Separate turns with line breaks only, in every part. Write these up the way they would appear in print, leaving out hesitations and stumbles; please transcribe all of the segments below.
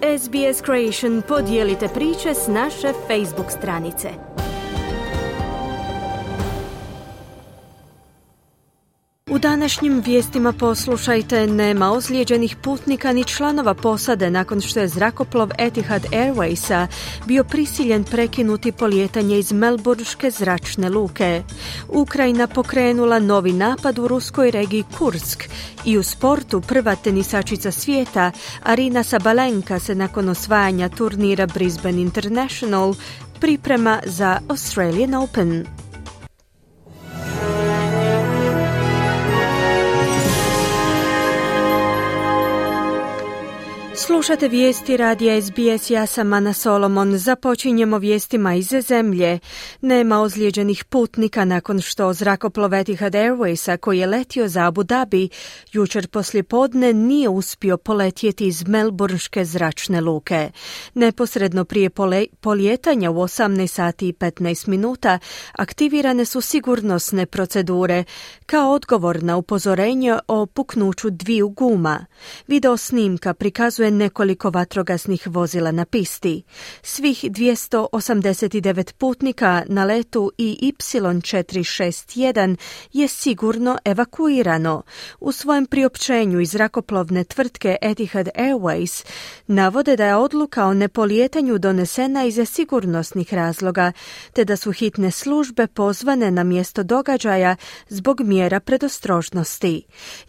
SBS Creation, podijelite priče s naše Facebook stranice. U današnjim vijestima poslušajte: nema ozlijeđenih putnika ni članova posade nakon što je zrakoplov Etihad Airwaysa bio prisiljen prekinuti polijetanje iz Melburške zračne luke. Ukrajina pokrenula novi napad u ruskoj regiji Kursk i u sportu prva tenisačica svijeta Arina Sabalenka se nakon osvajanja turnira Brisbane International priprema za Australian Open. Slušate vijesti radija SBS, ja sam Ana Solomon. Započinjemo vijestima iz zemlje. Nema ozlijeđenih putnika nakon što zrakoplov Etihad Airwaysa, koji je letio za Abu Dhabi, jučer poslijepodne nije uspio poletjeti iz Melburške zračne luke. Neposredno prije polijetanja u 18 sati i 15 minuta aktivirane su sigurnosne procedure kao odgovor na upozorenje o puknuću dviju guma. Video snimka prikazuje nekoliko vatrogasnih vozila na pisti. Svih 289 putnika na letu Y461 je sigurno evakuirano. U svojem priopćenju iz zrakoplovne tvrtke Etihad Airways navode da je odluka o nepolijetanju donesena iz sigurnosnih razloga, te da su hitne službe pozvane na mjesto događaja zbog mjera predostrožnosti.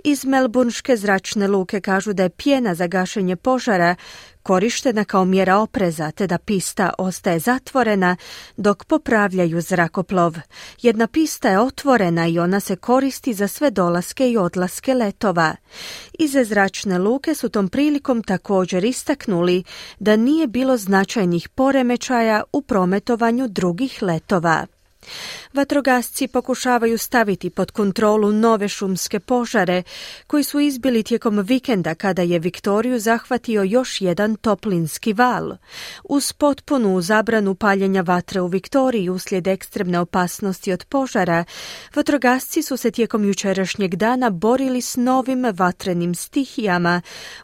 Iz Melburške zračne luke kažu da je pjena za gašenje požara korištena kao mjera opreza, te da pista ostaje zatvorena dok popravljaju zrakoplov. Jedna pista je otvorena i ona se koristi za sve dolaske i odlaske letova. Iz zračne luke su tom prilikom također istaknuli da nije bilo značajnih poremećaja u prometovanju drugih letova. Vatrogasci pokušavaju staviti pod kontrolu nove šumske požare koji su izbili tijekom vikenda kada je Viktoriju zahvatio još jedan toplinski val. Uz potpunu zabranu paljenja vatre u Viktoriji uslijed ekstremne opasnosti od požara, vatrogasci su se tijekom jučerašnjeg dana borili s novim vatrenim stihijama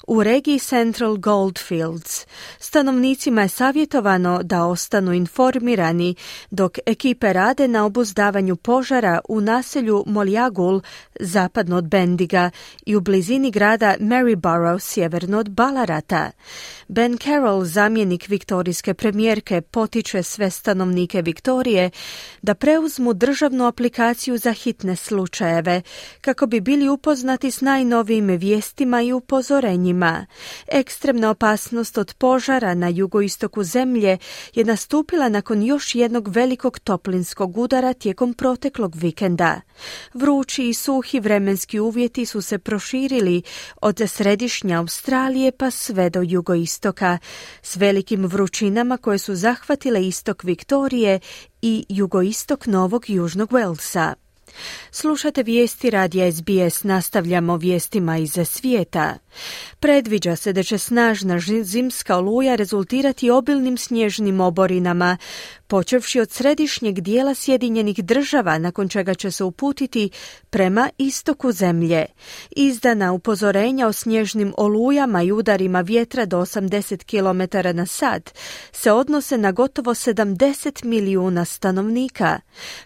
u regiji Central Goldfields. Stanovnicima je savjetovano da ostanu informirani dok ekipe rade na obuzdavanju požara u naselju Moljagul zapadno od Bendiga i u blizini grada Maryborough sjeverno od Ballarata. Ben Carroll, zamjenik viktorijske premijerke, potiče sve stanovnike Viktorije da preuzmu državnu aplikaciju za hitne slučajeve kako bi bili upoznati s najnovijim vijestima i upozorenjima. Ekstremna opasnost od požara na jugoistoku zemlje je nastupila nakon još jednog velikog toplinskog udara tijekom proteklog vikenda. Vrući i suhi vremenski uvjeti su se proširili od središnje Australije pa sve do jugoistoka, s velikim vrućinama koje su zahvatile istok Viktorije i jugoistok Novog Južnog Walesa. Slušate vijesti radija SBS, nastavljamo vijestima iz svijeta. Predviđa se da će snažna zimska oluja rezultirati obilnim snježnim oborinama, počevši od središnjeg dijela Sjedinjenih Država, nakon čega će se uputiti prema istoku zemlje. Izdana upozorenja o snježnim olujama i udarima vjetra do 80 km na sat se odnose na gotovo 70 milijuna stanovnika.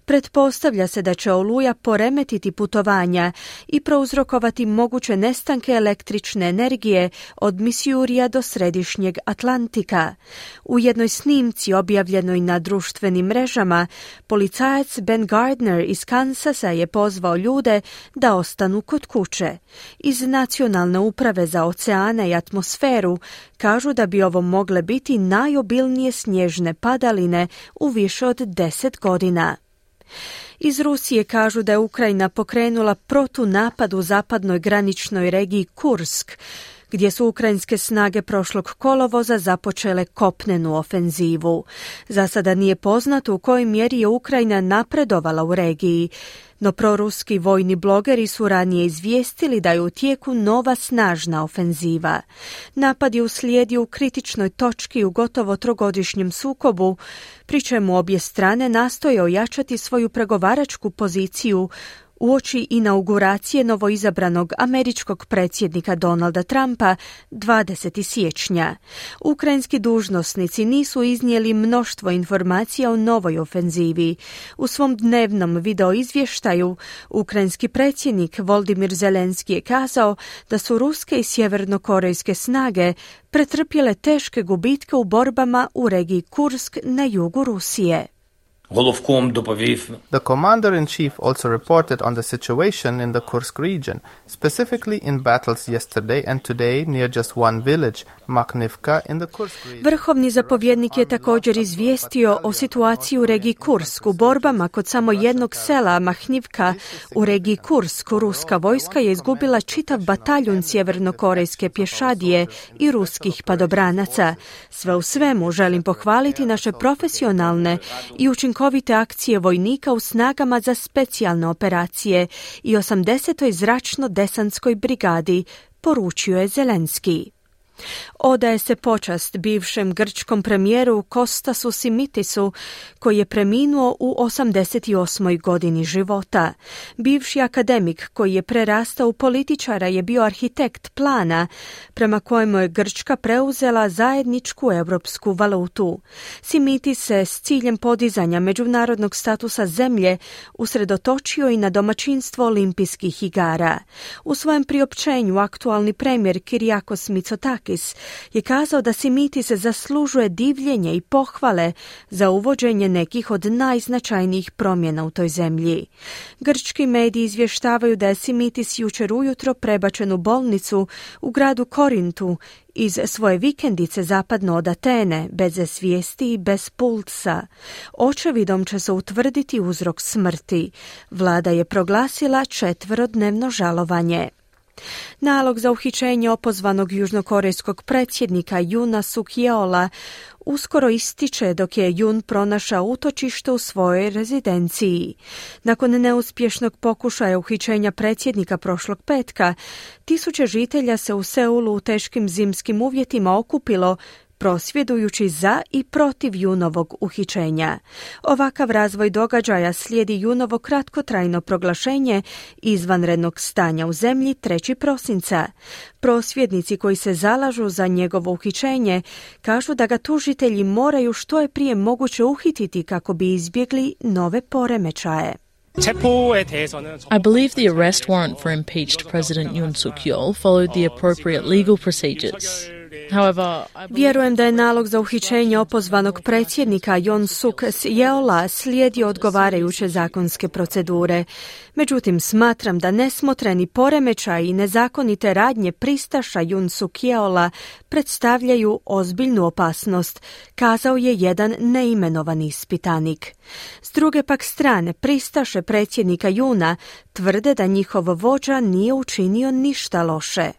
Pretpostavlja se da će oluja poremetiti putovanja i prouzrokovati moguće nestanke električne energije od Missourija do središnjeg Atlantika. U jednoj snimci objavljenoj na društvenim mrežama, policajac Ben Gardner iz Kansasa je pozvao ljude da ostanu kod kuće. Iz Nacionalne uprave za oceane i atmosferu kažu da bi ovo mogle biti najobilnije snježne padaline u više od 10 godina. Iz Rusije kažu da je Ukrajina pokrenula protunapad u zapadnoj graničnoj regiji Kursk, gdje su ukrajinske snage prošlog kolovoza započele kopnenu ofenzivu. Za sada nije poznato u kojoj mjeri je Ukrajina napredovala u regiji, no proruski vojni blogeri su ranije izvijestili da je u tijeku nova snažna ofenziva. Napad je uslijedio u kritičnoj točki u gotovo trogodišnjem sukobu, pri čemu obje strane nastoje ojačati svoju pregovaračku poziciju uoči inauguracije novoizabranog američkog predsjednika Donalda Trumpa 20. siječnja. Ukrajinski dužnosnici nisu iznijeli mnoštvo informacija o novoj ofenzivi. U svom dnevnom video izvještaju ukrajinski predsjednik Volodymyr Zelenski je kazao da su ruske i sjevernokorejske snage pretrpjele teške gubitke u borbama u regiji Kursk na jugu Rusije.
The commander-in-chief also reported on the situation in the Kursk region, specifically in battles yesterday and today near just one village, Makhnivka, in the Kursk region.
Vrhovni zapovjednik je također izvijestio o situaciji u regiji Kursk. U borbama kod samo jednog sela Makhnivka u regiji Kursk, ruska vojska je izgubila čitav bataljun sjevernokorejske pješadije i ruskih padobranaca. Sve u svemu želim pohvaliti naše profesionalne i učinkovite akcije vojnika u snagama za specijalne operacije i 80. zračno-desantskoj brigadi, poručio je Zelenski. Odaje se počast bivšem grčkom premijeru Kostasu Simitisu, koji je preminuo u 88. godini života. Bivši akademik koji je prerastao u političara je bio arhitekt plana prema kojemu je Grčka preuzela zajedničku europsku valutu. Simitis se s ciljem podizanja međunarodnog statusa zemlje usredotočio i na domaćinstvo olimpijskih igara. U svojem priopćenju aktualni premijer Kyriakos Mitsotakis je kazao da Simitis zaslužuje divljenje i pohvale za uvođenje nekih od najznačajnijih promjena u toj zemlji. Grčki mediji izvještavaju da je Simitis jučer ujutro prebačen u bolnicu u gradu Korintu iz svoje vikendice zapadno od Atene, bez svijesti i bez pulsa. Očevidom će se utvrditi uzrok smrti. Vlada je proglasila 4-dnevno žalovanje. Nalog za uhićenje opozvanog južnokorejskog predsjednika Yoona Suk-yeola uskoro ističe dok je Yoon pronašao utočište u svojoj rezidenciji. Nakon neuspješnog pokušaja uhićenja predsjednika prošlog petka, tisuće žitelja se u Seulu u teškim zimskim uvjetima okupilo prosvjedujući za i protiv Yoonovog uhićenja. Ovakav razvoj događaja slijedi Yoonovo kratkotrajno proglašenje izvanrednog stanja u zemlji 3. prosinca. Prosvjednici koji se zalažu za njegovo uhićenje kažu da ga tužitelji moraju što je prije moguće uhititi kako bi izbjegli nove poremećaje.
I believe the arrest warrant for impeached President Yoon Suk-yeol followed the appropriate legal procedures.
Vjerujem da je nalog za uhićenje opozvanog predsjednika Yoon Suk-yeola slijedio odgovarajuće zakonske procedure. Međutim, smatram da nesmotreni poremećaj i nezakonite radnje pristaša Yoon Suk-yeola predstavljaju ozbiljnu opasnost, kazao je jedan neimenovani ispitanik. S druge pak strane, pristaše predsjednika Yoona tvrde da njihov vođa nije učinio ništa loše.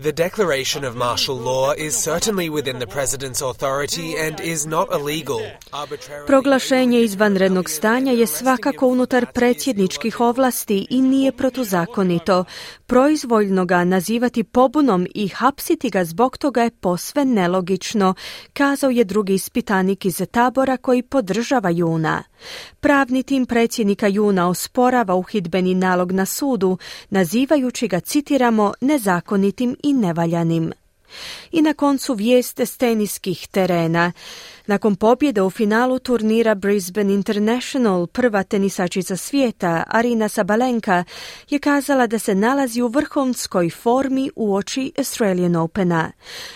The declaration of martial law is certainly within the president's authority and is not illegal.
Proglašenje izvanrednog stanja je svakako unutar predsjedničkih ovlasti i nije protuzakonito. Proizvoljno ga nazivati pobunom i hapsiti ga zbog toga je posve nelogično, kazao je drugi ispitanik iz tabora koji podržava Yoona. Pravni tim predsjednika Yoona osporava uhidbeni nalog na sudu, nazivajući ga, citiramo, nezakonitim i nevaljanim. I na koncu vijeste s teniskih terena. Nakon pobjede u finalu turnira Brisbane International, prva tenisačica svijeta, Aryna Sabalenka, je kazala da se nalazi u vrhunskoj formi uoči Australian Opena.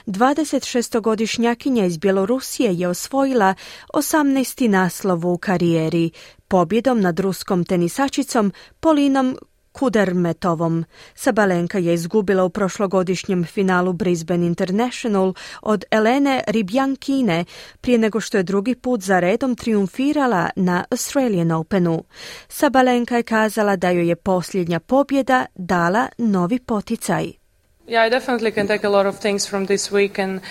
26-godišnjakinja iz Bjelorusije je osvojila 18. naslov u karijeri, pobjedom nad ruskom tenisačicom Polinom Kudermetovom. Sabalenka je izgubila u prošlogodišnjem finalu Brisbane International od Elene Rybjankine prije nego što je drugi put za redom triumfirala na Australian Openu. Sabalenka je kazala da joj je posljednja pobjeda dala novi poticaj.
Yeah, I definitely can take a lot of things from this week, and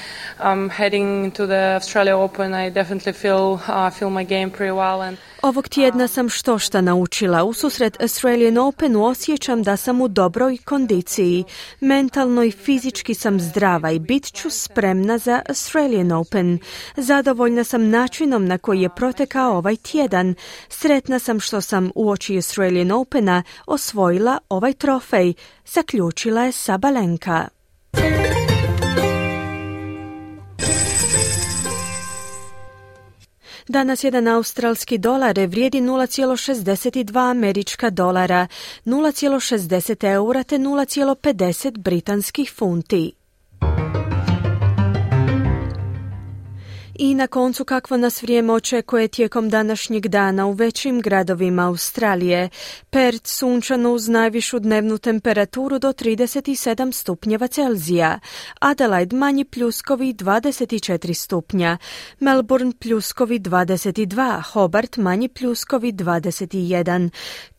heading to the Australia Open, I definitely feel my game pretty well. And
ovog tjedna sam štošta naučila. Ususret Australian Openu osjećam da sam u dobroj kondiciji. Mentalno i fizički sam zdrava i bit ću spremna za Australian Open. Zadovoljna sam načinom na koji je protekao ovaj tjedan. Sretna sam što sam uoči Australian Opena osvojila ovaj trofej, zaključila je Sabalenka. Danas jedan australski dolar vrijedi 0,62 američka dolara, 0,60 eura te 0,50 britanskih funti. I na koncu kakvo nas vrijeme očekuje tijekom današnjeg dana u većim gradovima Australije. Perth sunčano uz najvišu dnevnu temperaturu do 37 stupnjeva Celzija. Adelaide manji pljuskovi 24 stupnja. Melbourne pljuskovi 22. Hobart manji pljuskovi 21.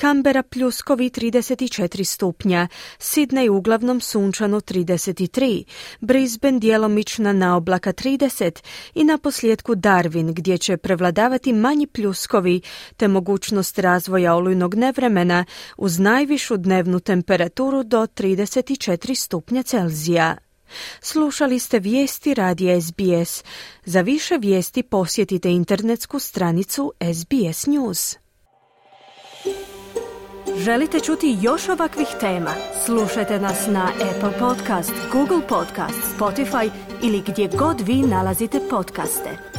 Canberra pljuskovi 34 stupnja. Sydney uglavnom sunčano 33. Brisbane djelomična naoblaka 30 i na posljedku Darwin, gdje će prevladavati manji pljuskovi te mogućnost razvoja olujnog nevremena uz najvišu dnevnu temperaturu do 34 stupnja Celzija. Slušali ste vijesti radija SBS. Za više vijesti posjetite internetsku stranicu SBS News. Želite čuti još ovakvih tema? Slušajte nas na Apple Podcast, Google Podcast, Spotify ili gdje god vi nalazite podcaste.